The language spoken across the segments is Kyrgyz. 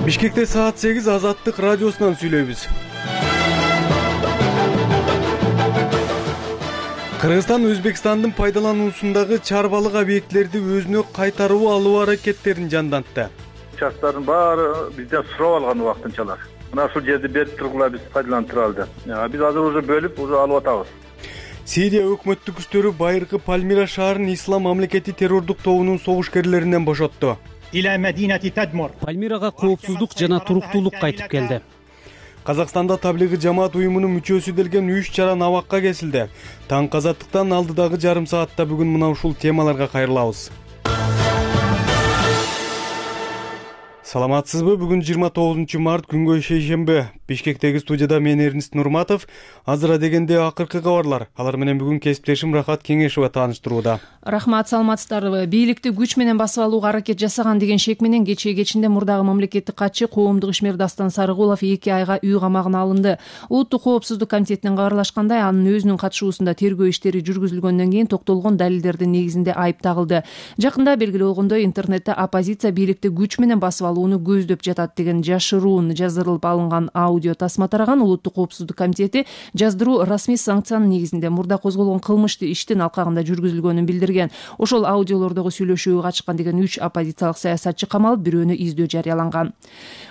Бишкекте саат 8 Азаттык радиосунан сүйлөйбүз. Кыргызстан Өзбекстандын пайдалануусундагы чарбалык объектилерди өзүнө кайтаруу алуу аракеттерин жандантты. Участтардын баары бизден сурап алган убактынчалар. Мына ушул жерди берип тургула, биз пайдаланып туралы деп. Биз азыр уже бөлүп, уже алып атабыз. Сирия өкмөттүк күчтөрү байыркы Пальмира шаарын Ислам мамлекети террордук тобунун согушкерлеринен бошотту. Пальмирага коопсуздук жана туруктуулук кайтып келди. Казакстанда таблиги жамаат уюмунун мүчөсү делген 3 чара абакка кесилди. Таң казаттыктан алдыдагы жарым саатта бүгүн мына ушул темаларга кайрылабыз. Саламатсызбы? Бүгүн 29 март күнгө шейшемби. Бишкектеги студияда мен Эрнест Нурматов. Азыр дегенде акыркы кабарлар. Алар менен бүгүн кесиптешим Рахат Кеңешова тааныштырууда. Рахмат, саламатсыздарбы? Бийликти күч менен басып алууга аракет жасаган деген шек менен кечинде мурдагы мамлекеттик катчы коомдук ишмер Дастан Сарыгулов 2 айга үй камагына алынды. Улуттук коопсуздук комитетинен кабарлашкандай, анын өзүнүн катышуусунда тергөө иштери жүргүзүлгөндөн кийин токтолгон далилдердин негизинде айып тагылды. Жакында белгилүү болгондой, интернетте оппозиция бийликти күч менен басып алууну көздөп жатат деген жашыруун жаздырылып алынган аудио тасма тараган. Улуттук коопсуздук комитети жаздыруу расмий санкциянын негизинде мурда козголгон кылмыштуу иштин алкагында жүргүзүлгөнүн билдирген. Ошол аудиолордогу сүйлөшүүгө катышкан деген 3 оппозициялык саясатчы камалып, бирөөнү издөө жарыяланган.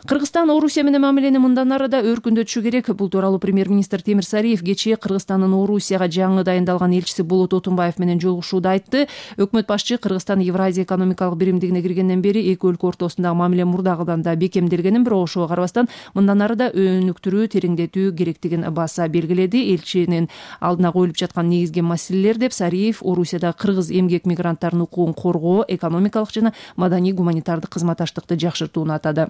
Кыргызстан Орусия менен мамилени мындан ары да өркүндөтүшү керек. Бул тууралуу премьер-министр Темир Сариев кечээ Кыргызстандын Орусияга жаңы дайындалган элчиси Болот Отунбаев менен жолугушууда айтты. Өкмөт башчы Кыргызстан Евразия экономикалык биримдигине киргенден бери эки өлкө ортосундагы мамиле мурдагыдан да бекемделгенин, бирок ошого карабастан мындан ары да өнүктүрүү, тереңдетүү керектигин баса белгиледи. Элчинин алдына коюлуп жаткан негизги маселелер деп Сариев Орусиядагы кыргыз эмгек мигранттарынын укугун коргоо, экономикалык жана маданий гуманитардык кызматташтыкты жакшыртууну атады.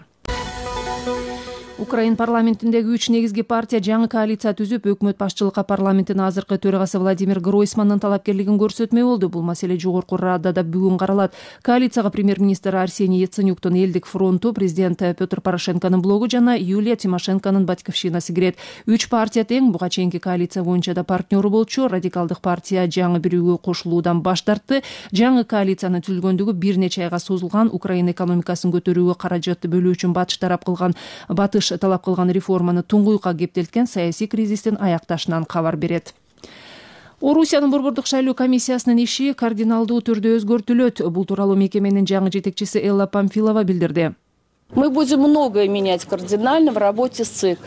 Украин парламентиндеги 3 негизги партия жаңы коалиция түзүп, өкмөт башчылыкка парламенттин азыркы төрагасы Владимир Гройсмандын талапкерлигин көрсөтмөй болду. Бул маселе жогорку Радада бүгүн каралат. Коалицияга премьер-министр Арсений Яценюктун Элдик фронту, президент Петр Порошенконун блогу жана Юлия Тимошенконун Батьковщинасы кирет. 3 партия тең буга чейинки коалиция боюнча да партнеру болчу. Радикалдык партия жаңы бирүүгө кошулуудан баш тартты. Жаңы коалициянын түзүлгөндүгү бир нече айга созулган. Украина экономикасын көтөрүүгө каражатты бөлүү үчүн Батыш талап кылган реформаны туңгуйукка кептелткен саясий кризистин аякташынан кабар берет. Орусиянын Борбордук шайлоо комиссиясынын иши кардиналдуу түрдө өзгөртүлөт. Бул тууралуу мекеменин жаңы жетекчиси Элла Памфилова билдирди. Мы будем многое менять кардинально в работе с ЦИК.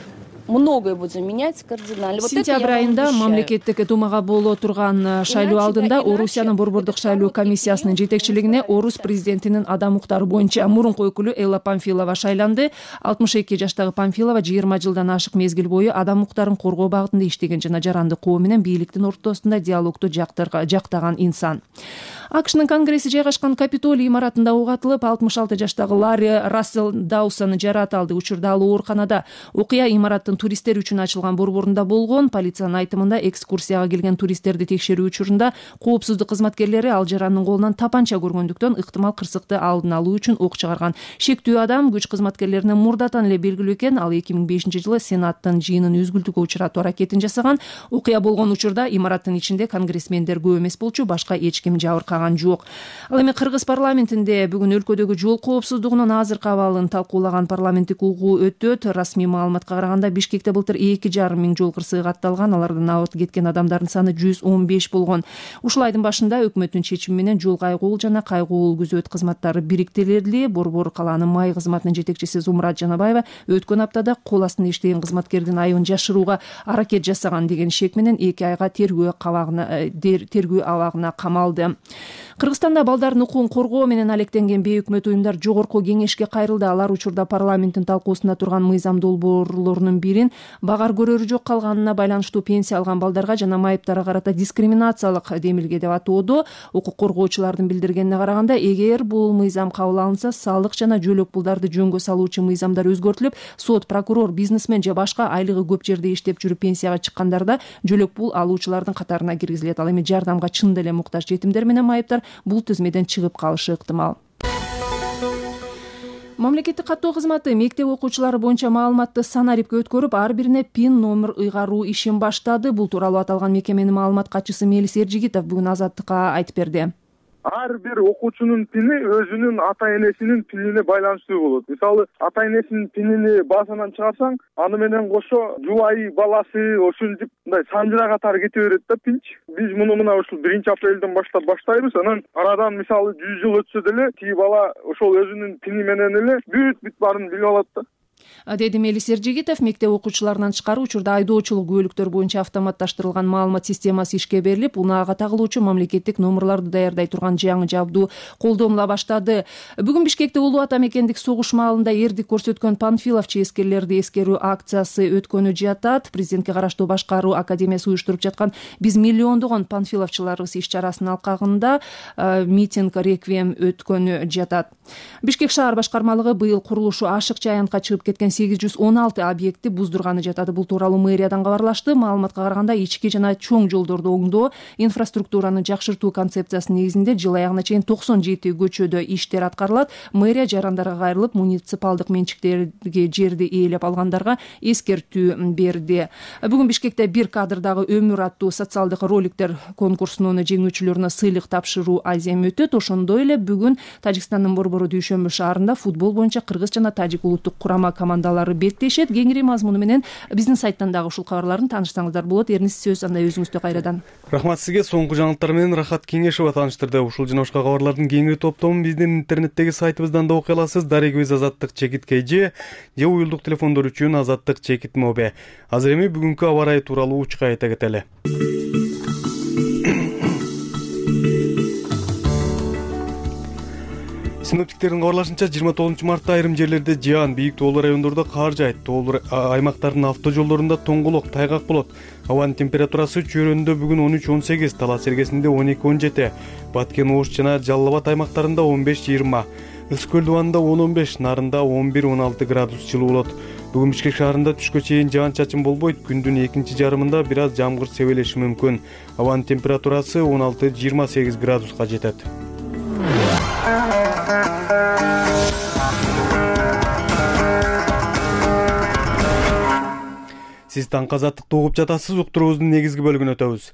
Многое будем менять кардинально. Сентябрь айында мамлекеттик думага боло турган шайлоо алдында Орусиянын Борбордук шайлоо комиссиясынын жетекчилигине Орус президентинин адам укуктары боюнча мурунку өкүлү Элла Памфилова шайланды. 62 жаштагы Памфилова 20 жылдан ашык мезгил бою адам укуктарын коргоо багытында иштеген жана жаранды коом менен бийликтин ортосунда диалогду жактаган инсан. АКШнын конгресси жайгашкан Капитолий имаратында ок атылып, 66 жаштагы Ларри Рассел Даусон жарат алды. Учурда ал ооруканада. Окуя имараттын туристтер үчүн ачылган борборунда болгон. Полициянын айтымында экскурсияга келген туристтерди текшерүү учурунда коопсуздук кызматкерлери ал жарандын колунан тапанча көргөндүктөн ыктымал кырсыкты алдын алуу үчүн ок чыгарган. Шектүү адам күч кызматкерлеринин мурдатан эле белгилүү экен. Ал 2005-жылы Сенаттын жыйынын үзгүлтүүгө учуратуу аракетин жасаган. Окуя болгон учурда имараттын ичинде конгрессмендер көп эмес болчу, башка эч ким жабыркаган жок. Ал эми Кыргыз парламентинде бүгүн өлкөдөгү жол коопсуздугунун азыркы абалын талкуулаган парламенттик угуу өтөт. Расмий маалыматка караганда Бишкекте былтыр 2,5 миң жол кырсыгы катталган. Алардан абырт кеткен адамдардын саны 115 болгон. Ушул айдын башында өкмөттүн чечими менен жол кайгуул жана кайгуул күзөт кызматтары бириктирилди. Борбор калаанын май кызматынын жетекчиси Зумрат Жанабаева өткөн аптада кол астында иштеген кызматкердин айыбын жашырууга аракет жасаган деген шек менен 2 айга тергөө абагына камалды. Кыргызстанда балдардын укугун коргоо менен алектенген бейөкмөт уюмдар жогорку кеңешке кайрылды. Алар учурда парламенттин талкуусунда турган мыйзам долбоорлорунун бирин багар көрөрү жок калганына байланыштуу пенсия алган балдарга жана майыптарга карата дискриминациялык демилге деп атоодо. Укук коргоочулардын билдиргенине караганда, эгер бул мыйзам кабыл алынса, салык жана жөлөк пулдарды жөнгө салуучу мыйзамдар өзгөртүлүп, сот, прокурор, бизнесмен же башка айлыгы көп жерде иштеп жүрүп пенсияга чыккандарда жөлөк пул алуучулардын катарына киргизилет. Ал эми жардамга чындап эле муктаж жетимдер менен майыптар бул тизмеден чыгып калышы ыктымал. Мамлекеттик каттоо кызматы мектеп окуучулары боюнча маалыматты санарипке өткөрүп, ар бирине пин номер ыйгаруу ишин баштады. Бул тууралуу аталган мекеменин маалымат катчысы Мелис Эржигитов бүгүн Азаттыкка айтып берди. ар бир окуучунун пини өзүнүн ата энесинин пинине байланыштуу болот. Мисалы, ата энесинин пинини базадан чыгарсаң, аны менен кошо жубайы, баласы, ушинтип мындай санжыра катары кете берет да пинч. Биз муну мына ушул 1-апрелден баштап баштайбыз. Анан арадан мисалы 100 жыл өтсө деле тиги бала ошол өзүнүн пини менен эле бүт баарын билип алат да. Деди Мелис Эржигитов. Мектеп окуучуларынан тышкары учурда айдоочулук күбөлүктөр боюнча автоматташтырылган маалымат системасы ишке берилип, унаага тагылуучу мамлекеттик номерлорду даярдай турган жаңы жабдуу колдонула баштады. Бүгүн Бишкекте улуу ата мекендик согуш маалында эрдик көрсөткөн Панфилов чейскерлерди эскерүү акциясы өткөнү жатат. Президентке караштуу башкаруу академиясы уюштуруп жаткан биз миллиондогон панфиловчуларыбыз иш-чарасынын алкагында митинг реквием өткөнү жатат. Бишкек шаар башкармалыгы быйыл курулушу ашыкча аянтка чыгып кеткен 816 объектти буздурганы жатат. Бул тууралуу мэриядан кабарлашты. Маалыматка караганда ички жана чоң жолдорду оңдоо, инфраструктураны жакшыртуу концепциясынын негизинде жыл аягына чейин 97 көчөдө иштер аткарылат. Мэрия жарандарга кайрылып, муниципалдык менчиктеги жерди ээлеп алгандарга эскертүү берди. Бүгүн Бишкекте бир кадрдагы өмүр аттуу социалдык роликтер конкурсунун жеңүүчүлөрүнө сыйлык тапшыруу азем өтөт. Ошондой эле бүгүн Тажикстандын Борбору Дүйшөмбү шаарында футбол боюнча кыргыз жана тажик улуттук курама командалары беттешет. Кеңири мазмуну менен биздин сайттан дагы ушул кабарларын таанышсаңыздар болот. Эрнис, сөз андай өзүңүздө кайрадан. Рахмат сизге. Соңку жаңылыктар менен Рахат Кеңешова тааныштырды. Ушул жана башка кабарлардын кеңири топтомун биздин интернеттеги сайтыбыздан да окуй аласыз. Дарегибиз Азаттык Чекит КЖ же уюлдук телефондор үчүн Азаттык Чекит Мобе. Азыр эми бүгүнкү аба ырайы тууралуу учка айта кетели. Синоптиктердин кабарлашынча 29 мартта айрым жерлерде жаан, бийик тоолуу райондордо кар жаайт. Тоолуу аймактардын автожолдорунда тоңголок, тайгак болот. Абанын температурасы Чөйрөндө бүгүн 13-18, Талас Сергесинде 12-17, Баткен, Ош жана Жалал Абад аймактарында 15-20, Ысык-Көл дубанында 10-15, Нарында 11-16 градус жылуу болот. Бүгүн Бишкек шаарында түшкө чейин жаан-чачын болбойт. Күндүн экинчи жарымында бир аз жамгыр себелеши мүмкүн. Абанын температурасы 16-28 градуска жетет. Сиз таңкы азаттыкты угуп жатасыз. Уктуруубуздун негизги бөлүгүнө өтөбүз.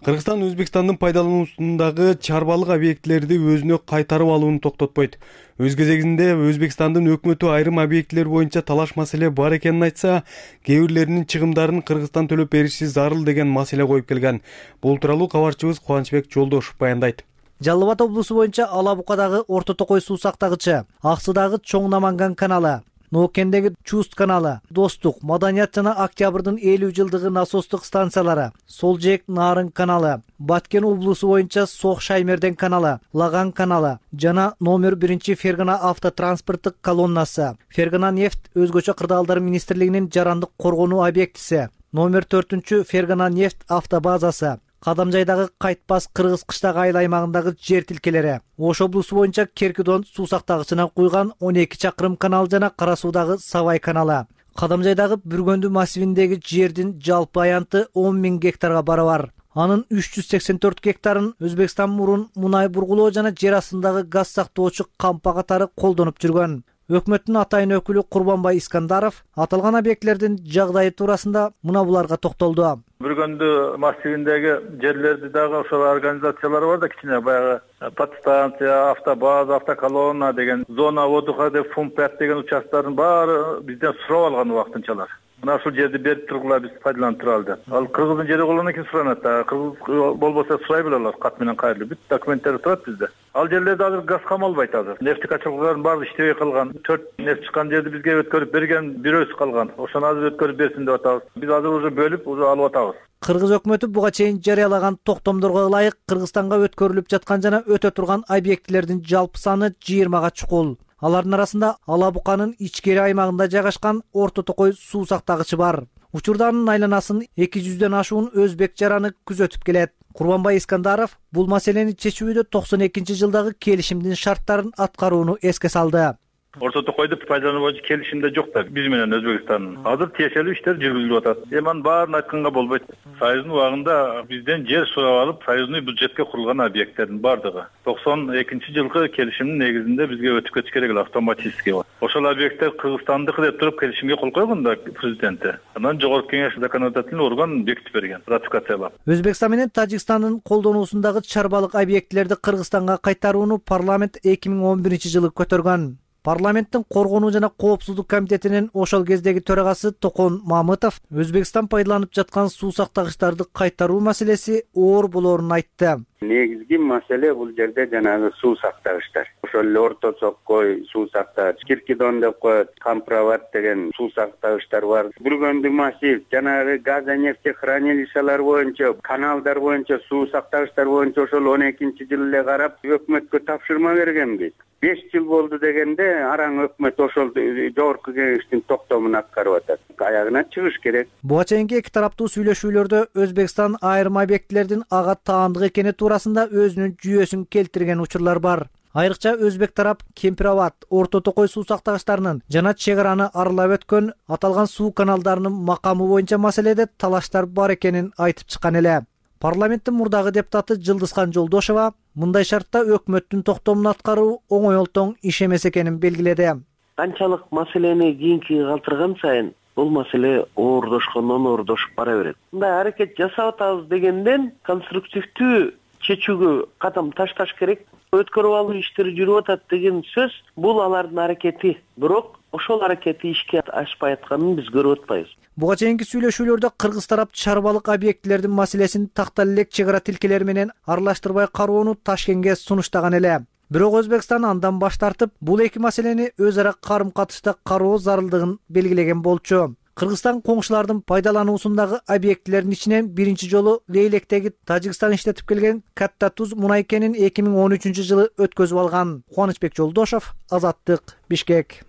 Кыргызстан Өзбекстандын пайдалануусундагы чарбалык объектилерди өзүнө кайтарып алууну токтотпойт. Өз кезегинде Өзбекстандын өкмөтү айрым объектилер боюнча талаш маселе бар экенин айтса, кээ бирлеринин чыгымдарын Кыргызстан төлөп бериши зарыл деген маселе коюп келген. Бул тууралуу кабарчыбыз Кубанычбек Жолдошев баяндайт. Жалал Абад облусу боюнча Ала Букадагы Орто Токой суу сактагычы, Аксыдагы Чоң Наманган каналы, Ноокендеги Чуст каналы, Достук, Маданият жана Октябрдын 50 жылдыгы насостук станциялары, Солжек Нарын каналы, Баткен облусу боюнча Сок Шаймерден каналы, Лаган каналы жана номер 1 Фергана автотранспорттук колоннасы, Фергана нефть өзгөчө кырдаалдар министрлигинин жарандык коргонуу объектиси, номер 4 Фергана нефть автобазасы, Кадамжайдагы Кайтпас Кыргыз кыштагы айыл аймагындагы жер тилкелери, Ош облусу боюнча Керкидон суу сактагычына куйган 12 чакырым канал жана Кара Суудагы Сабай каналы. Кадамжайдагы Бүргөндү массивиндеги жердин жалпы аянты 10 000 гектарга барабар. Анын 384 гектарын Өзбекстан мурун мунай бургулоо жана жер астындагы газ сактоочу кампа катары колдонуп жүргөн. Өкмөттүн атайын өкүлү Курбанбай Искандаров аталган объектилердин жагдайы туурасында мына буларга токтолду. Бүргөндү массивиндеги жерлерди дагы ошол организациялар бар да, кичине баягы подстанция, автобаза, автоколонна деген, зона отдыха деп Фумпят деген участкалардын баары бизден сурап алган убактынчалар. Мына ушул жерди берип тургула, биз пайдаланып туралы. Ал кыргыздын жери болгондон кийин суранат да. Кыргыз болбосо сурай белелер, кат менен кайрылып. Бүт документтер турат бизде. Ал жерлерде азыр газ камалбайт азыр. Нефть качалгылардын баары иштебей калган. 4 нефть чыккан жерди бизге өткөрүп берген бирөөсү калган. Ошону азыр өткөрүп берсин деп атабыз. Биз азыр уже бөлүп, уже алып атабыз. Кыргыз өкмөтү буга чейин жарыялаган токтомдорго ылайык Кыргызстанга өткөрүлүп жаткан жана өтө турган объектилердин жалпы саны 20га чукул. Алардын арасында Ала Буканын ичкери аймагында жайгашкан Орто Токой суу сактагычы бар. Учурда анын айланасын 200дөн ашуун өзбек жараны күзөтүп келет. Курбанбай Искандаров бул маселени чечүүдө 92 жылдагы келишимдин шарттарын аткарууну эске салды. Орто Токойду пайдалануу боюнча келишимде жок да биз менен Өзбекстандын. Азыр тиешелүү иштер жүргүзүлүп атат. Эми анын баарын айтканга болбойт. Союздун убагында бизден жер сурап алып, союзный бюджетке курулган объекттердин бардыгы 92-жылкы келишимдин негизинде бизге өтүп кетиш керек эле автоматически. Ошол объекттер Кыргызстандыкы деп туруп келишимге кол койгон да президенти. Анан жогорку кеңеш законодательный орган бекитип берген, ратификациялап. Өзбекстан менен Тажикстандын колдонуусундагы чарбалык объектилерди Кыргызстанга кайтарууну парламент 2011-жылы көтөргөн. Парламенттин коргонуу жана коопсуздук комитетинин ошол кездеги төрагасы Токон Мамытов Өзбекстан пайдаланып жаткан суу сактагычтарды кайтаруу маселеси оор болоорун айтты. Негизги маселе бул жерде жанагы суу сактагычтар. Ошол эле Орто Соккой суу сактагыч, Киркидон деп коет, Камправат деген суу сактагычтар бар. Бүргөндүк массив, жанагы газ нефтехранилищалар боюнча, каналдар боюнча, суу сактагычтар боюнча ошол 12-жылы эле карап өкмөткө тапшырма бергенбиз. 5 жыл болду дегенде араң өкмөт ошол жогорку кеңештин токтомун аткарып атат. Аягына чыгыш керек. Буга чейинки эки тараптуу сүйлөшүүлөрдө Өзбекстан айрым объектилердин ага таандык экени туурасында өзүнүн жүйөсүн келтирген учурлар бар. Айрыкча өзбек тарап Кемпирабад, Орто Токой суу сактагычтарынын жана чек араны аралап өткөн аталган суу каналдарынын макамы боюнча маселеде талаштар бар экенин айтып чыккан эле. Парламенттин мурдагы депутаты Жылдызхан Жолдошова мындай шартта өкмөттүн токтомун аткаруу оңой олтоң иш эмес экенин белгиледи. Канчалык маселени кийинкиге калтырган сайын бул маселе оордошуп бара берет. Мындай аракет жасап атабыз дегенден конструктивдүү чечүүгө кадам ташташ керек. Өткөрүп алуу иштери жүрүп атат деген сөз бул алардын аракети. Бирок ошол аракети ишке ашпай атканын биз көрүп атпайбыз. Буга чейинки сүйлөшүүлөрдө Кыргыз тарап чарбалык объектилердин маселесин тактал элек чек ара тилкелери менен аралаштырбай кароону Ташкентке сунуштаган эле. Бирок Өзбекстан андан баш тартып, бул эки маселени өз ара карым-катышта кароо зарылдыгын белгилеген болчу. Кыргызстан коңшулардын пайдалануусундагы объектилердин ичинен биринчи жолу Лейлектеги Тажикстан иштетип келген Катта Туз мунай кенин 2013-жылы өткөзүп алган. Кубанычбек Жолдошов, Азаттык, Бишкек.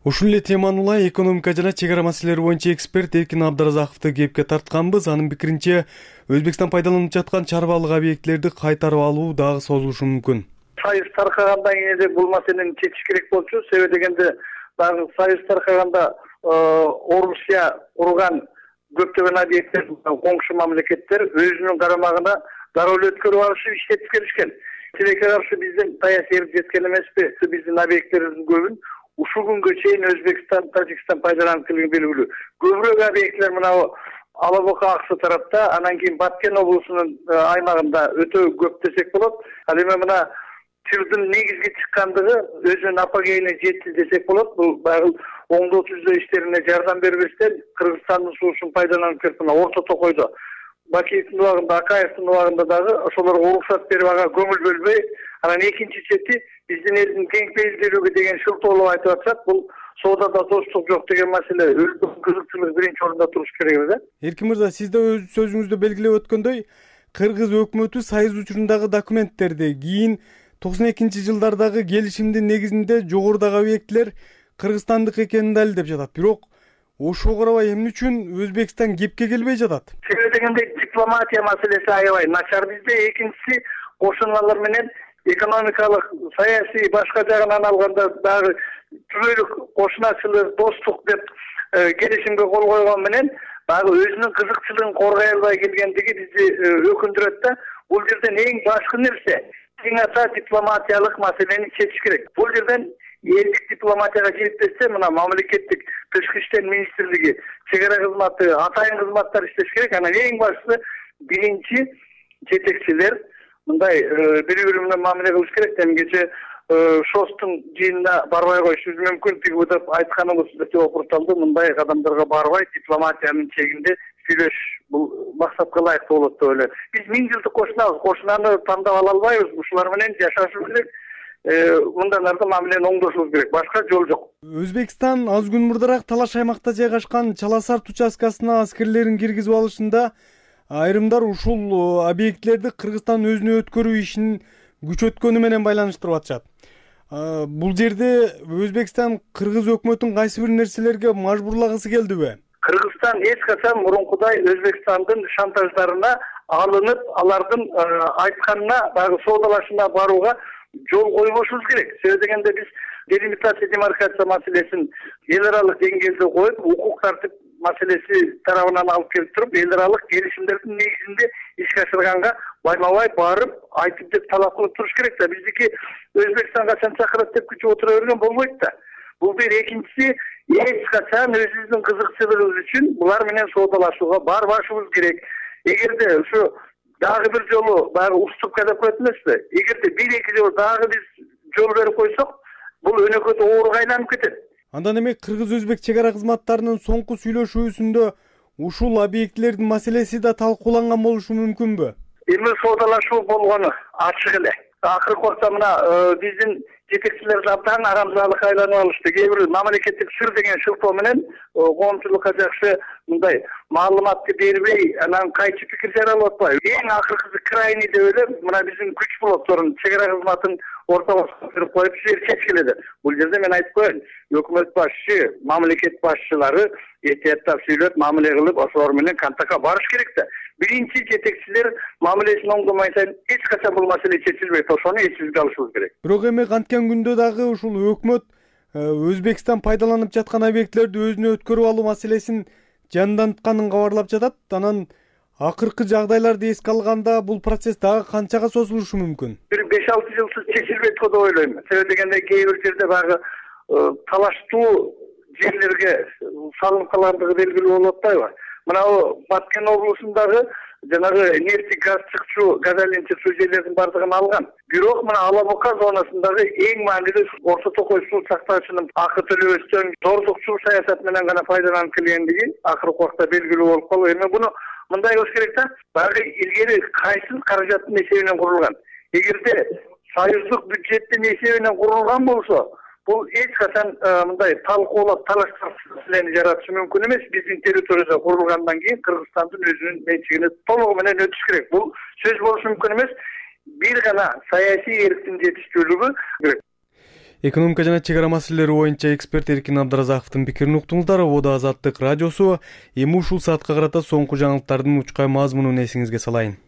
Ушул эле теманы улай экономика жана чек ара маселелери боюнча эксперт Эркин Абдыразаковду кепке тартканбыз. Анын пикиринче, Өзбекстан пайдаланып жаткан чарбалык объектилерди кайтарып алуу дагы созулушу мүмкүн. Союз таркагандан кийин бул маселени чечиш керек болчу. Себеби дегенде дагы Союз таркаганда Орусия курган көптөгөн объекттер коңшу мамлекеттер өзүнүн карамагына дароо эле өткөрүп алышып иштетип келишкен. Тилекке каршы биздин саясий эрк жеткен эмеспи? Биздин объекттерибиздин көбүн ушул күнгө чейин Өзбекстан, Тажикстан пайдаланып келген белгилүү. Көбүрөөк объекттер мына Алабука Аксы тарапта, анан кийин Баткен облусунун аймагында өтө көп десек болот. Ал эми мына Тирдин негизги чыккандыгы өзүнүн апогейине жетти десек болот. Бул баягы оңдоо түзөө иштерине жардам бербестен Кыргызстандын суусун пайдаланып келип мына Орто Токойдо Бакиевдин убагында, Акаевдин убагында дагы ошолорго уруксат берип ага көңүл бөлбөй, анан экинчи чети биздин элдин тең пейилдүүлүгү деген шылтоолоп айтып атышат. Бул соодада достук жок деген маселе өлкөнүн кызыкчылыгы биринчи орунда туруш керек да. Эркин мырза, сиз да өз сөзүңүздө белгилеп өткөндөй, Кыргыз өкмөтү Союз учурундагы документтерди кийин 92-жылдардагы келишимдин негизинде жогорудагы объектилер Кыргызстандык экенин далилдеп жатат. Бирок ошого карабай эмне үчүн Өзбекстан кепке келбей жатат? Себеби дегенде дипломатия маселеси аябай начар бизде. Экинчиси кошуналар менен экономикалык, саясий башка жагынан алганда дагы түбөлүк кошуначылык, достук деп келишимге кол койгон менен дагы өзүнүн кызыкчылыгын коргой албай келгендиги бизди өкүндүрөт да. Бул жерден эң башкы нерсе эң ата дипломатиялык маселени чечиш керек. Бул жерден элдик дипломатияга жетпесе, мына мамлекеттик тышкы иштер министрлиги, чек ара кызматы, атайын кызматтар иштеш керек. Анан эң башкысы биринчи жетекчилер мындай бири-бири менен мамиле кылыш керек. Кече ШОСтун жыйынына барбай коюшубуз мүмкүн. Тиги деп айтканыбыз өтө опурталды. Мындай кадамдарга барбай дипломатиянын чегинде сүйлөш бул максатка ылайыктуу болот деп ойлойм. Биз 1000 жылдык кошунабыз, кошунаны тандап ала албайбыз. Ушулар менен жашашыбыз керек. Мындан ары мамилени оңдошубуз керек. Башка жол жок. Өзбекстан аз күн мурдараак талаш аймакта жайгашкан Чаласарт участкасына аскерлерин киргизип алышында айрымдар ушул объектилерди Кыргызстан өзүнө өткөрүү ишин күчөткөнү менен байланыштырып атышат. Бул жерде Өзбекстан Кыргыз өкмөтүн кайсы бир нерселерге мажбурлагысы келдиби? Кыргызстан эч качан мурункудай Өзбекстандын шантаждарына алынып, алардын айтканына, дагы соодалашууна барууга жол койбошубуз керек. Себеби дегенде биз делимитация демаркация маселесин эл аралык деңгээлде коюп, укук тартип маселеси тарабынан алып келип туруп, эл аралык келишимдердин негизинде ишке ашырганга байма-бай барып айтып деп талап кылып туруш керек да. Биздики Өзбекстанга качан чакырат деп күтүп отура берген болбойт да. Бул бир. Экинчиси, эч качан өзүбүздүн кызыкчылыгыбыз үчүн булар менен соодалашууга барбашыбыз керек. Эгерде ушу дагы бир жолу баягы уступка деп коет эмеспи? Эгерде бир-эки жолу дагы биз жол берип койсок, бул өнөкөт ооруга айланып кетет. Андан эми кыргыз-өзбек чек ара кызматтарынын соңку сүйлөшүүсүндө ушул объектилердин маселеси да талкууланган болушу мүмкүнбү? Эми соодалашуу болгону ачык эле. Акыркы убакта мына биздин жетекчилер абдан арамзаалыкка айланып алышты. Кээ бир мамлекеттик сыр деген шылтоо менен коомчулукка жакшы мындай маалыматты бербей, анан кайчы пикир жаралып атпайбы? Эң акыркысы крайний деп эле мына биздин күч блокторун чек ара кызматын ортого коюп коюп чечкиледи. Бул жерде мен айтып коеюн, өкмөт башчы, мамлекет башчылары этияттап сүйлөп, мамиле кылып, ошолор менен контактка барыш керек да. Биринчи жетекчилер мамилесин оңдомой сайын эч качан бул маселе чечилбейт. Ошону эсибизге алышыбыз керек. Бирок эми канткен күндө дагы ушул өкмөт Өзбекстан пайдаланып жаткан объектилерди өзүнө өткөрүп алуу маселесин жандантқанын кабарлап жатат. Анан акыркы жагдайларды эске алганда бул процесс дагы канчага созулушу мүмкүн? Бир 5-6 жылсыз чечилбейт го деп ойлойм. Себеби дегенде кээ бир жерде баягы талаштуу жерлерге салынып калгандыгы белгилүү болуп атпайбы? Мына Баткен облусундагы жанагы нефти газ чыкчу, газ айленчи суу жерлердин бардыгын алган. Бирок мына Алабока зонасындагы эң маанилүү Орто Токой суу сактагычынын акы төлөбөстөн зордукчу саясат менен гана пайдаланып келгендиги акыркы убакта белгилүү болуп калды. Эми буну мындай кылыш керек да, баягы илгери кайсыл каражаттын эсебинен курулган. Эгерде союздук бюджеттин эсебинен курулган болсо, бул эч качан мындай талкуулап талаштар маселени жаратышы мүмкүн эмес. Биздин территорияда курулгандан кийин Кыргызстандын өзүнүн менчигине толугу менен өтүш керек. Бул сөз болушу мүмкүн эмес. Бир гана саясий эрктин жетиштүүлүгү керек. Экономика жана чек ара маселелери боюнча эксперт Эркин Абдыразаковдун пикирин уктуңуздар. Ода Азаттык радиосу. Эми ушул саатка карата соңку жаңылыктардын учкай мазмунун эсиңизге салайын.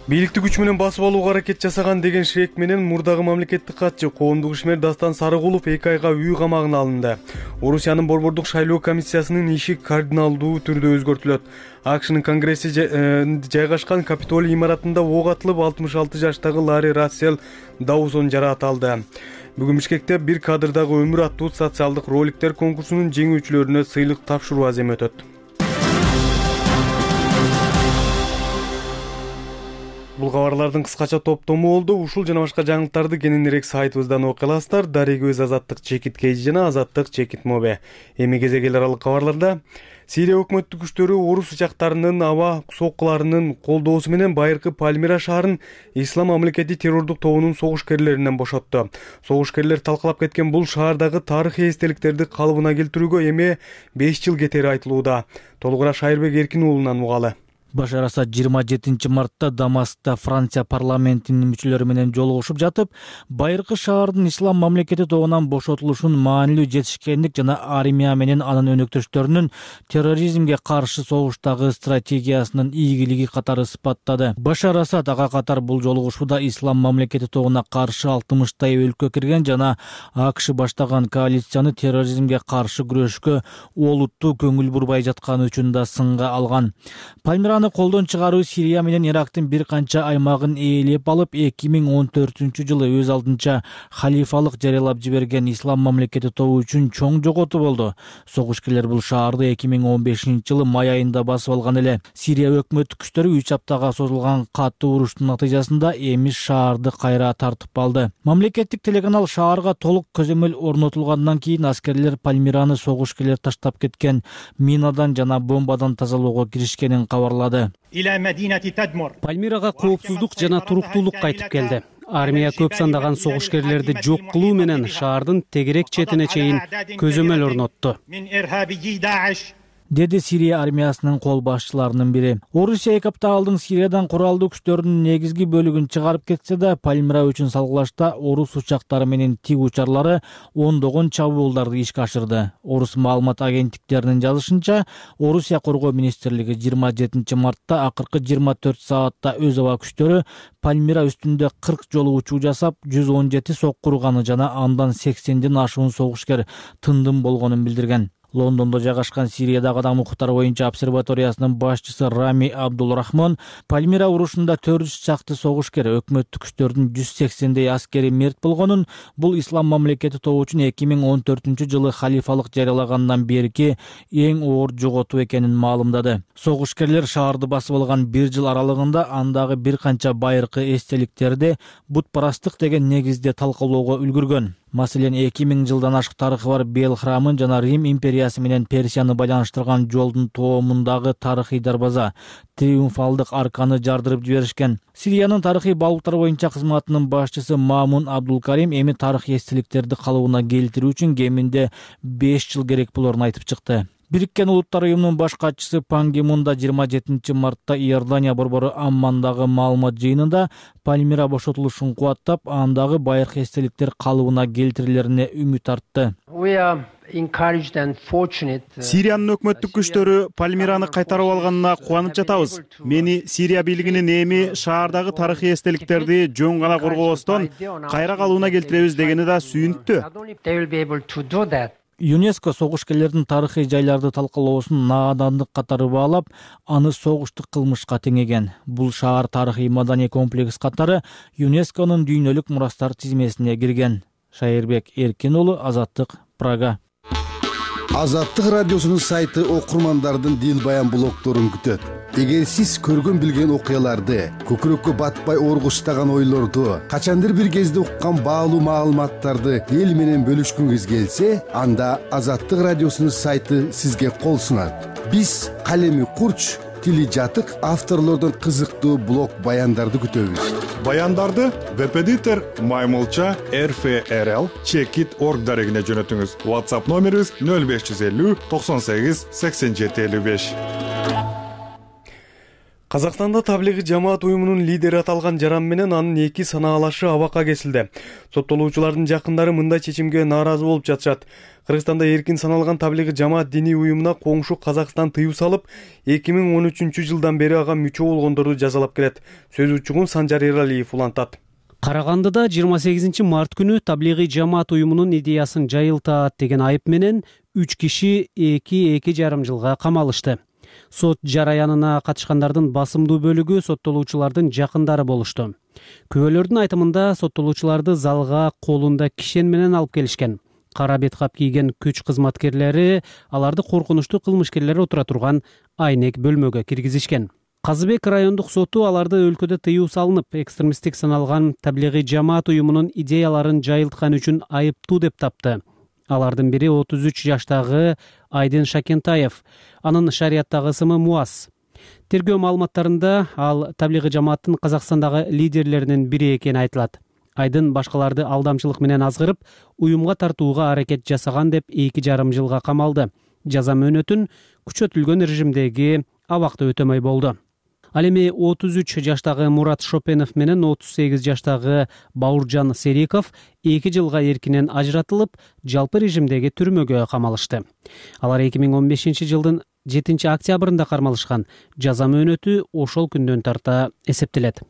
Бийликти күч менен басып алууга аракет жасаган деген шек менен мурдагы мамлекеттик катчы коомдук ишмер Дастан Сарыгулов 2 айга үй камагына алынды. Орусиянын борбордук шайлоо комиссиясынын иши кардиналдуу түрдө өзгөртүлөт. АКШнын конгресси жайгашкан Капитолий имаратында ок атылып 66 жаштагы Ларри Рассел Даусон жараат алды. Бүгүн Бишкекте бир кадрдагы өмүр аттуу социалдык роликтер конкурсунун жеңүүчүлөрүнө сыйлык тапшыруу аземи өтөт. Бул кабарлардын кыскача топтому болду. Ушул жана башка жаңылыктарды кененирээк сайтыбыздан окуй аласыздар. Дарыгөз Азаттык чекит кейжи жана Азаттык чекит мобе. Эми кезек эл аралык кабарларда Сирия өкмөттүк күчтөрү орус учактарынын аба соккуларынын колдоосу менен байыркы Пальмира шаарын Ислам мамлекети террордук тобунун согуш-керлеринен бошотту. Согуш-керлер талкалап кеткен бул шаардагы тарыхый эстеликтерди калыбына келтирүүгө эми 5 жыл кетери айтылууда. Толугураак Шайырбек Эркин уулунан угалы. Башар Асад 27 мартта Дамаскта Франция парламентинин мүчөлөрү менен жолугушуп жатып, байыркы шаардын Ислам мамлекети тобунан бошотулушун маанилүү жетишкендик жана армия менен анын өнөктөштөрүнүн терроризмге каршы согуштагы стратегиясынын ийгилиги катары сыпаттады. Башар Асад ага катар бул жолугушууда Ислам мамлекети тобуна каршы 60 өлкө кирген жана АКШ баштаган коалицияны терроризмге каршы күрөшкө олуттуу көңүл бурбай жатканы үчүн да сынга алган. Пальмираны колдон чыгаруу Сирия менен Ирактын бир канча аймагын ээлеп алып 2014-жылы өз алдынча халифалык жарыялап жиберген Ислам мамлекети тобу үчүн чоң жоготуу болду. Согушкерлер бул шаарды 2015-жылы май айында басып алган эле. Сирия өкмөттүк күчтөрү 3 аптага созулган катуу уруштун натыйжасында эми шаарды кайра тартып алды. Мамлекеттик телеканал шаарга толук көзөмөл орнотулгандан кийин аскерлер Пальмираны согушкерлер таштап кеткен минадан жана бомбадан тазалоого киришкенин кабарлады. Пальмирага коопсуздук жана туруктуулук кайтып келди. Армия көп сандаган согушкерлерди жок кылуу менен шаардын тегерек четине чейин көзөмөл орнотту. деди Сирия армиясынын кол башчыларынын бири. Орусия 2 апта алдын Сириядан куралдуу күчтөрүнүн негизги бөлүгүн чыгарып кетсе да, Пальмира үчүн салгылашта орус учактары менен тиг учарлары ондогон чабуулдарды ишке ашырды. Орус маалымат агенттиктеринин жазышынча, Орусия коргоо министрлиги 27 мартта акыркы 24 саатта өз аба күчтөрү Пальмира үстүндө 40 жолу учуу жасап, 117 сокку урганы жана андан 80ден ашуун согушкер тындым болгонун билдирген. Лондондо жайгашкан Сириядагы адам укуктары боюнча обсерваториясынын башчысы Рами Абдулрахмон Пальмира урушунда 400 чакты согушкер, өкмөттүк күчтөрдүн 180дей аскери мерт болгонун, бул ислам мамлекети тобу үчүн 2014-жылы халифалык жарыялагандан берки эң оор жоготуу экенин маалымдады. Согушкерлер шаарды басып алган 1 жыл аралыгында андагы бир канча байыркы эстеликтерди бутпарастык деген негизде талкалоого үлгүргөн. Маселен, 2000 жылдан ашык тарыхы бар Бел храмын жана Рим империясы менен Персияны байланыштырган жолдун тоомундагы тарыхый дарбаза, триумфалдык арканы жардырып жиберишкен. Сириянын тарыхый багыттар боюнча кызматынын башчысы Мамун Абдулкарим эми тарыхый эстеликтерди калыбына келтирүү үчүн кеминде 5 жыл керек болорун айтып чыкты. Бириккен Улуттар уюмунун баш катчысы Пан Ги Мун да 27 мартта Иордания борбору Аммандагы маалымат жыйынында Пальмира бошотулушун кубаттап, андагы байыркы эстеликтер калыбына келтирилерине үмүт артты. Сириянын өкмөттүк күчтөрү Пальмираны кайтарып алганына кубанып жатабыз. Мени Сирия бийлигинин эми шаардагы тарыхый эстеликтерди жөн гана коргобостон кайра калыбына келтиребиз дегени да сүйүнүктүү. ЮНЕСКО согушкерлердин тарыхый жайларды талкалоосун наадандык катары баалап, аны согуштук кылмышка теңеген. Бул шаар тарыхый маданий комплекс катары ЮНЕСКОнун дүйнөлүк мурастар тизмесине кирген. Шайырбек Эркин уулу, Азаттык, Прага. Азаттык радиосунун сайты окурмандардын дил баян блогторун күтөт. Эгер сиз көргөн билген окуяларды, көкүрөккө батпай оргуштаган ойлорду, качандыр бир кезде уккан баалуу маалыматтарды эл менен бөлүшкүңүз келсе, анда Азаттык радиосунун сайты сизге кол сунат. Биз калеми курч, тили жатык авторлордон кызыктуу блог баяндарды күтөбүз. Баяндарды веб-эдитор Маймылча RFRL Checkit.org дарегине жөнөтүңүз. WhatsApp номерибиз 0550 98 87 55. Казакстанда таблиги жамаат уюмунун лидери аталган жаран менен анын 2 санаалашы абакка кесилди. Соттолуучулардын жакындары мындай чечимге нааразы болуп жатышат. Кыргызстанда эркин саналган таблиги жамаат диний уюмуна коңшу Казакстан тыюу салып, 2013-жылдан бери ага мүчө болгондорду жазалап келет. Сөз учугун Санжар Эралиев улантат. Карагандыда 28 март күнү таблиги жамаат уюмунун идеясын жайылтат деген айып менен 3 киши 2,5 жылга камалышты. Сот жараянына катышкандардын басымдуу бөлүгү соттолуучулардын жакындары болушту. Күбөлөрдүн айтымында соттолуучуларды залга колунда кишен менен алып келишкен. Кара бет кап кийген күч кызматкерлери аларды коркунучтуу кылмышкерлер отура турган айнек бөлмөгө киргизишкен. Казыбек райондук соту аларды өлкөдө тыюу салынып, экстремисттик саналган таблиги жамаат уюмунун идеяларын жайылткан үчүн айыптуу деп тапты. Алардын бири 33 жаштагы Айдын Шакентаев, анын шариаттагы ысымы Муаз. Тергөө маалыматтарында ал таблиги жамааттын Казакстандагы лидерлеринин бири экени айтылат. Айдын башкаларды алдамчылык менен азгырып, уюмга тартууга аракет жасаган деп 2,5 жылга камалды. Жаза мөөнөтүн күчөтүлгөн режимдеги абакта өтөмөй болду. Ал эми 33 жаштагы Мурат Шопенов менен 38 жаштагы Бауыржан Сериков 2 жылга эркинен ажыратылып, жалпы режимдеги түрмөгө камалышты. Алар 2015 жылдын 7 октябрында кармалышкан. Жаза мөөнөтү ошол күндөн тарта эсептелет.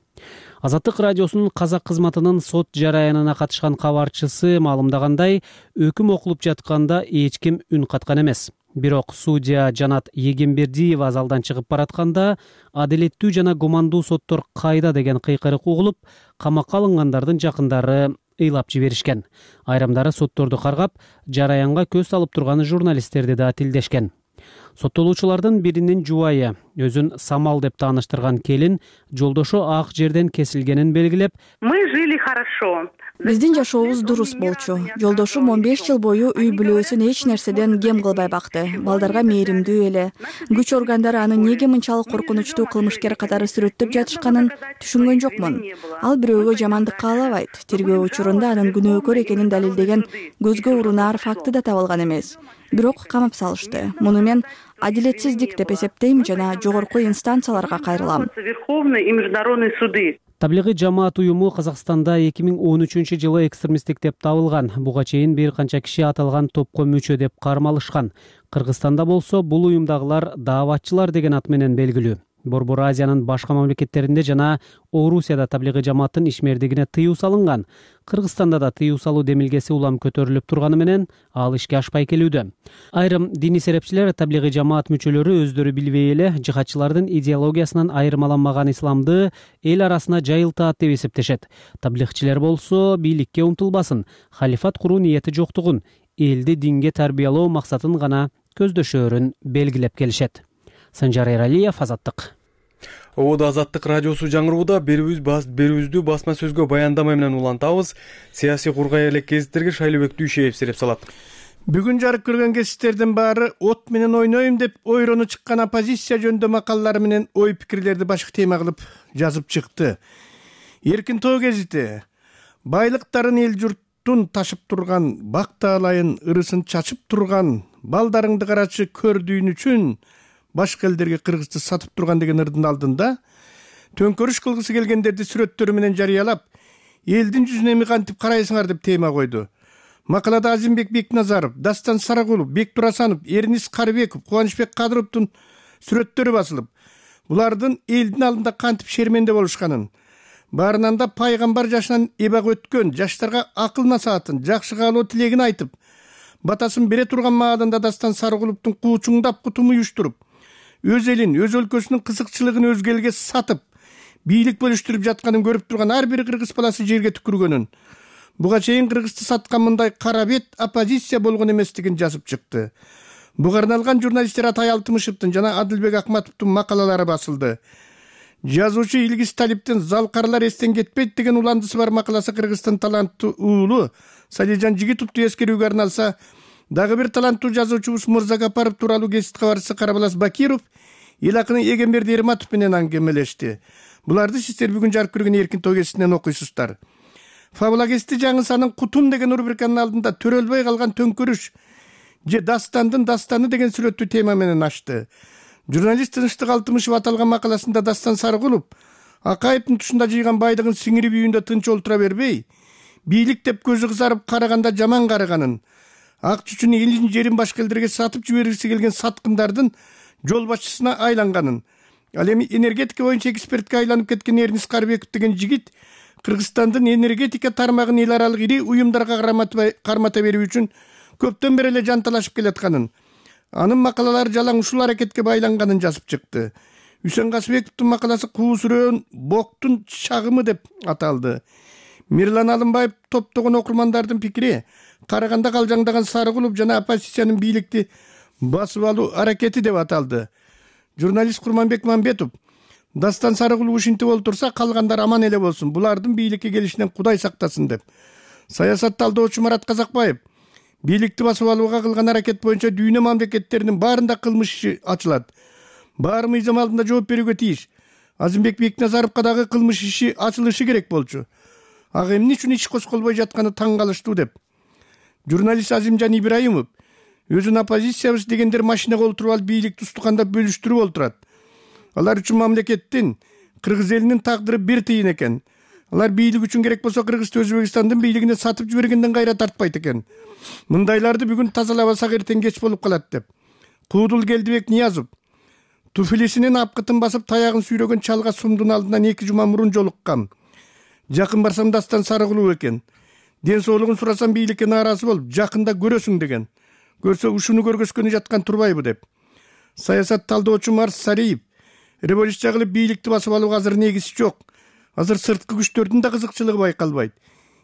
Азаттык радиосунун казак кызматынын сот жараянына катышкан кабарчысы маалымдагандай, өкүм окулуп жатканда эч ким үн каткан эмес. Бирок судья Жанат Егембердиева залдан чыгып баратканда, адилеттүү жана гумандуу соттор кайда деген кыйкырык угулуп, камакка алынгандардын жакындары ыйлап жиберишкен. Айрымдары сотторду каргап, жараянга көз салып турган журналисттерди да тилдешкен. Соттолуучулардын биринин жубайы, өзүн Самал деп тааныштырган келин, жолдошу ак жерден кесилгенин белгилеп, "Мы жили хорошо. Биздин жашообуз дурус болчу. Жолдошум 15 жыл бою үй бүлөсүн эч нерседен кем кылбай бакты. Балдарга мээримдүү эле. Күч органдары аны эмнеге мынчалык коркунучтуу кылмышкер катары сүрөттөп жатышканын түшүнгөн жокмун. Ал бирөөгө жамандык каалабайт. Тергөө учурунда анын күнөөкөр экенин далилдеген көзгө урунаар факты да табылган эмес. бирок камап салышты. Муну мен адилетсиздик деп эсептейм жана жогорку инстанцияларга кайрылам. Верховные и международные суды. Таблигый жамаат уюму Казакстанда 2013-жылы экстремисттик деп табылган. Буга чейин бир канча киши аталган топко мүчө деп кармалышкан. Кыргызстанда болсо бул уюмдагылар дааватчылар деген ат менен белгилүү. Борбор Азиянын башка мамлекеттеринде жана Орусияда таблигый жамааттын ишмердигине тыюу салынган. Кыргызстанда да тыюу салуу демилгеси улам көтөрүлүп турганы менен ал ишке ашпай келүүдө. Айрым диний серепчилер таблигый жамаат мүчөлөрү өздөрү билбей эле жихадчылардын идеологиясынан айырмаланмаган исламды эл арасына жайылтат деп эсептешет. Таблигчилер болсо бийликке умтулбасын, халифат куруу ниети жоктугун, элди динге тарбиялоо максатын гана көздөшөөрүн белгилеп келишет. Санжар Эралиев, Азаттык. Ободо Азаттык радиосу жаңырууда берүүбүздү басма сөзгө баяндама менен улантабыз. Саясий кургай элек гезиттерге Шайлообек Дүйшеев сереп салат. Бүгүн жарык көргөн гезиттердин баары от менен ойнойм деп ойрону чыккан оппозиция жөнүндө макалалары менен ой пикирлерди башкы тема кылып жазып чыкты. Эркин тоо гезити байлыктарын эл журттун ташып турган, бак таалайын ырысын чачып турган, балдарыңды карачы көрдүүн үчүн башка элдерге кыргызды сатып турган деген ырдын алдында төңкөрүш кылгысы келгендерди сүрөттөрү менен жарыялап, элдин жүзүнө эми кантип карайсыңар деп тема койду. Макалада Азимбек Бекназаров, Дастан Сарагулов, Бек Турасанов, Эрнис Карыбеков, Кубанычбек Кадыровдун сүрөттөрү басылып, булардын элдин алдында кантип шерменде болушканын, баарынан да пайгамбар жашынан эбак өткөн, жаштарга акыл насаатын, жакшы каалоо тилегин айтып, батасын бере турган маалында Дастан Сарагуловдун куучуңдап кутум уюштуруп, өз элин, өз өлкөсүнүн кызыкчылыгын өзгө элге сатып, бийлик бөлүштүрүп жатканын көрүп турган ар бир кыргыз баласы жерге түкүргөнүн, буга чейин кыргызды саткан мындай кара бет оппозиция болгон эместигин жазып чыкты. Буга арналган журналисттер Атай Алтымышевдин жана Адылбек Акматовдун макалалары басылды. Жазуучу Илгиз Талиптин «Залкарлар эстен кетпейт» деген уландысы бар макаласы Кыргыздын таланттуу уулу Салижан Жигитовду эскерүүгө арналса, дагы бир таланттуу жазуучубуз Мурзагапаров тууралуу гезит кабарчысы Карабалас Бакиров эл акыны Эгемберди Эрматов менен аңгемелешти. Буларды сиздер бүгүн жарык көргөн Эркин тоо гезитинен окуйсуздар. Фабула гезити жаңысанын «Кутум» деген рубриканын алдында төрөлбөй калган төңкөрүш же Дастандын дастаны деген сүрөттүү тема менен ачты. Журналист Тынычтык Алтымышев аталган макаласында Дастан Сарыгулов Акаевдин тушунда жыйган байдыгын сиңирип үйүндө тынч олтура бербей, бийлик деп көзү кызарып караганда жаман караганын, ак чүчүн элин жерин башка элдерге сатып жибергиси келген саткындардын жол башчысына айланганын, ал эми энергетика боюнча экспертке айланып кеткен Эрнис Карыбеков деген жигит Кыргызстандын энергетика тармагын эл аралык ири уюмдарга кармата берүү үчүн көптөн бери эле жанталашып келатканын, анын макалалары жалаң ушул аракетке байланганын жазып чыкты. Үсөн Касыбековдун макаласы «Куу сүрөөн боктун чагымы» деп аталды. Мирлан Алымбаев топтогон окурмандардын пикири караганда калжаңдаган Сарыгулов жана оппозициянын бийликти басып алуу аракети деп аталды. Журналист Курманбек Мамбетов Дастан Сарыгулов ушинтип олтурса, калгандар аман эле болсун, булардын бийликке келишинен Кудай сактасын деп. Саясат талдоочу Марат Казакбаев бийликти басып алууга кылган аракет боюнча дүйнө мамлекеттеринин баарында кылмыш иши ачылат. Баары мыйзам алдында жооп берүүгө тийиш. Азимбек Бекназаровго дагы кылмыш иши ачылышы керек болчу. Ага эмне үчүн иш козголбой жатканы таң калыштуу деп. Журналист Азимжан Ибраимов өзүн оппозициябыз дегендер машинага олтуруп алып бийликти устукандап бөлүштүрүп олтурат. Алар үчүн мамлекеттин, кыргыз элинин тагдыры бир тыйын экен. Алар бийлик үчүн керек болсо Кыргызды Өзбекстандын бийлигине сатып жибергенден кайра тартпайт экен. Мындайларды бүгүн тазалабасак эртең кеч болуп калат деп. Куудул Келдибек Ниязов туфилисинин апкытын басып таягын сүйрөгөн чалга сумдун алдынан 2 жума мурун жолуккан. Жакын барсам Дастан Сарыгулов экен. Ден соолугун сурасам бийликке нааразы болуп, жакында көрөсүң деген. Көрсө ушуну көргөскөнү жаткан турбайбы деп. Саясат талдоочу Марс Сариев революция кылып бийликти басып алууга азыр негиз жок. Азыр сырткы күчтөрдүн да кызыкчылыгы байкалбайт.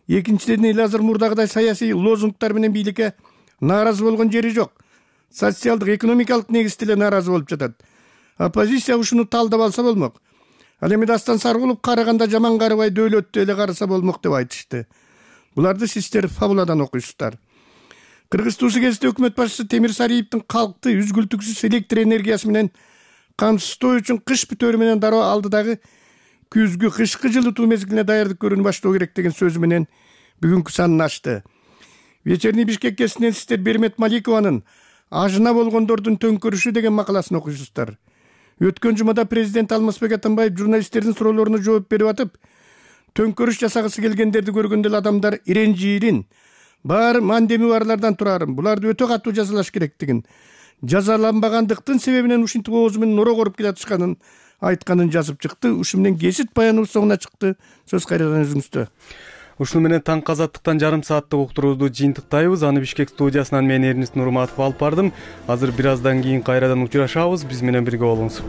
Экинчиден эл азыр мурдагыдай саясий лозунгтар менен бийликке нааразы болгон жери жок. Социалдык, экономикалык негизде эле нааразы болуп жатат. Оппозиция ушуну талдап алса болмок. Ал эми Дастан Сарыгулов караганда жаман карабай дөөлөттү эле караса болмок деп айтышты. Буларды сиздер Фабуладан окуйсуздар. Кыргыз туусу кезинде өкмөт башчысы Темир Сариевдин калкты үзгүлтүксүз электр энергиясы менен камсыздоо үчүн кыш бүтөөрү менен дароо алдыдагы күзгү кышкы жылытуу мезгилине даярдык көрүүнү баштоо керек деген сөзү менен бүгүнкү санын ачты. Вечерний Бишкек кезинен сиздер Бермет Маликованын ажына болгондордун төңкөрүшү деген макаласын окуйсуздар. Өткөн жумада президент Алмазбек Атамбаев журналисттердин суроолоруна жооп берип атып, төңкөрүш жасагысы келгендерди көргөндө эле адамдар иренжирин, баары мандеми барлардан турарын, буларды өтө катуу жазалаш керектигин, жазаланбагандыктын себебинен ушинтип оозу менен оро коруп келатышканын айтканын жазып чыкты. Ушу менен кесип баяныбыз соңуна чыкты. Сөз кайрадан өзүңүздө. Ушуну менен таңкы азаттыктан жарым сааттык уктуруубузду жыйынтыктайбыз. Аны Бишкек студиясынан мен Эрнис Нурматов алып бардым. Азыр бир аздан кийин кайрадан учурашабыз. Биз менен бирге болуңуз.